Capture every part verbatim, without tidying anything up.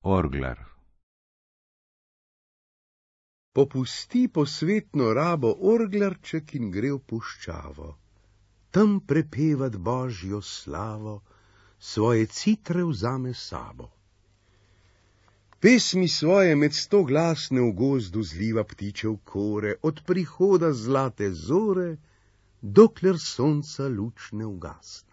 Orglar. Popusti posvetno rabo orglarček in gre v puščavo, tam prepevat Božjo slavo, svoje citre vzame sabo. Pesmi svoje med sto glasne v gozdu zliva ptičev kore, od prihoda zlate zore, dokler sonca luč ne ugasne.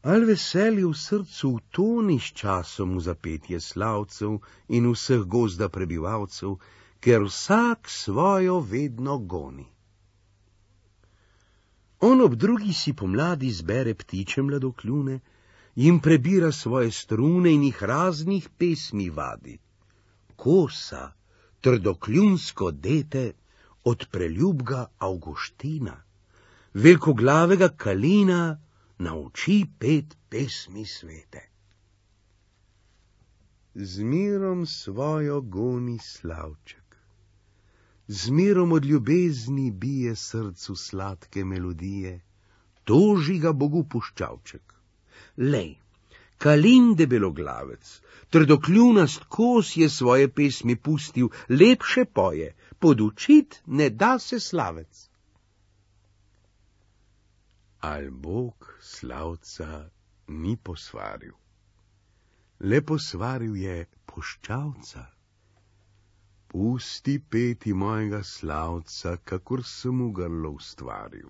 Al veselje v srcu utoni s časom v zapetje slavcev in vseh gozda prebivalcev, ker vsak svojo vedno goni. On ob drugi si pomladi zbere ptiče mladokljune, jim prebira svoje strune in jih raznih pesmi vadi. Kosa, trdokljunsko dete, od preljubga Avguština, velikoglavega Kalina nauči pet pesmi svete. Z mirom svojo goni slavček, z mirom od ljubezni bije srcu sladke melodije, toži ga Bogu puščavček. Lej, Kalin debeloglavec, trdokljunast kos je svoje pesmi pustil, lepše poje, podučit ne da se slavec. Al Bog slavca ni posvaril, le posvaril je puščavca. Pusti peti mojega slavca, kakor sem mu grlo ustvaril.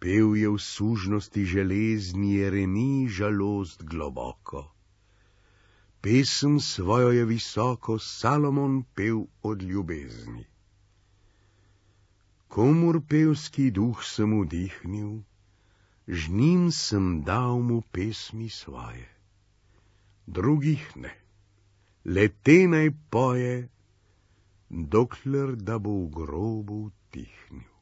Pev je v sužnosti železni Jeremij žalost globoko. Pesem svojo je visoko Salomon pev od ljubezni. Komur pevski duh sem vdihnil, z njim sem dal mu pesmi svoje. Drugih ne, le te naj poje, dokler da bo v grobu tihnil.